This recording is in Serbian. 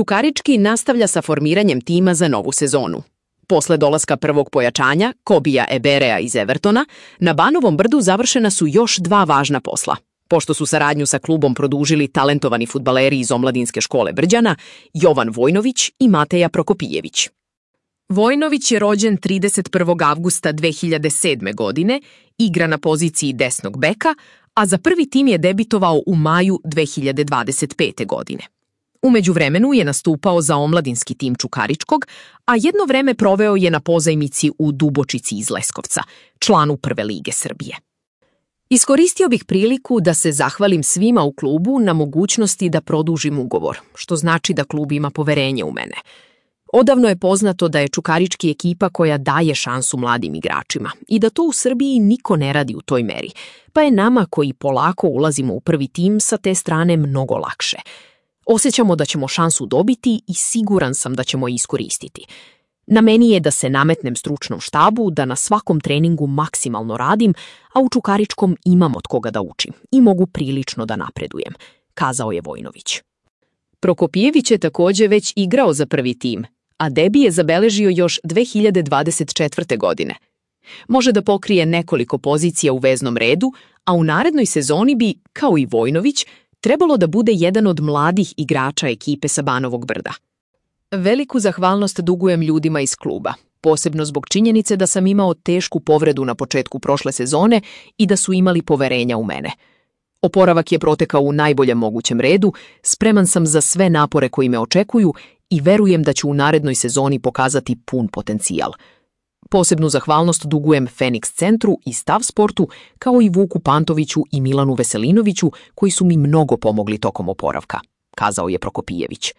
Čukarički nastavlja sa formiranjem tima za novu sezonu. Posle dolaska prvog pojačanja, Kobija Eberea iz Evertona, na Banovom Brdu završena su još 2 važna posla. Pošto su saradnju sa klubom produžili talentovani fudbaleri iz omladinske škole Brđana, Jovan Vojnović i Mateja Prokopijević. Vojnović je rođen 31. avgusta 2007. godine, igra na poziciji desnog beka, a za prvi tim je debitovao u maju 2025. godine. U međuvremenu je nastupao za omladinski tim Čukaričkog, a jedno vreme proveo je na pozajmici u Dubočici iz Leskovca, članu Prve lige Srbije. Iskoristio bih priliku da se zahvalim svima u klubu na mogućnosti da produžim ugovor, što znači da klub ima poverenje u mene. Odavno je poznato da je Čukarički ekipa koja daje šansu mladim igračima i da to u Srbiji niko ne radi u toj meri, pa je nama koji polako ulazimo u prvi tim sa te strane mnogo lakše. Osjećamo da ćemo šansu dobiti i siguran sam da ćemo je iskoristiti. Na meni je da se nametnem stručnom štabu, da na svakom treningu maksimalno radim, a u Čukaričkom imam od koga da učim i mogu prilično da napredujem, kazao je Vojnović. Prokopijević je također već igrao za prvi tim, a debi je zabeležio još 2024. godine. Može da pokrije nekoliko pozicija u veznom redu, a u narednoj sezoni bi, kao i Vojnović, trebalo da bude jedan od mladih igrača ekipe sa Banovog Brda. Veliku zahvalnost dugujem ljudima iz kluba, posebno zbog činjenice da sam imao tešku povredu na početku prošle sezone i da su imali poverenja u mene. Oporavak je protekao u najboljem mogućem redu, spreman sam za sve napore koji me očekuju i verujem da ću u narednoj sezoni pokazati pun potencijal. Posebnu zahvalnost dugujem Feniks centru i Stav sportu, kao i Vuku Pantoviću i Milanu Veselinoviću, koji su mi mnogo pomogli tokom oporavka, kazao je Prokopijević.